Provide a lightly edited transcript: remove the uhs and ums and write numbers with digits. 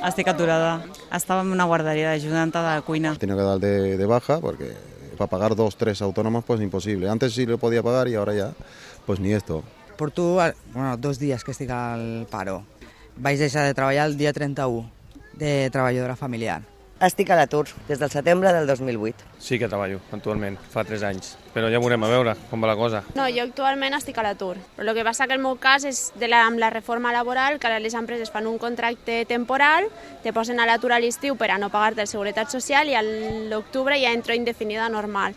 Estic aturada. Estaba en una guardería de ayudante de cuina. He tenido que dar de baja porque para pagar 2, 3 autónomos pues imposible. Antes sí lo podía pagar y ahora ya pues ni esto. Porto 2 dies que estic al paro. Vaig deixar de treballar el dia 31 de treballadora familiar. Estic a l'atur des del setembre del 2008. Sí que treballo actualment, fa 3 anys, però ja veurem a veure com va la cosa. No, jo actualment estic a l'atur, però el que passa que el meu cas és amb la reforma laboral, que ara les empreses fan un contracte temporal, te posen a l'atur a l'estiu per a no pagar-te la seguretat social i a l'octubre ja entro indefinida normal.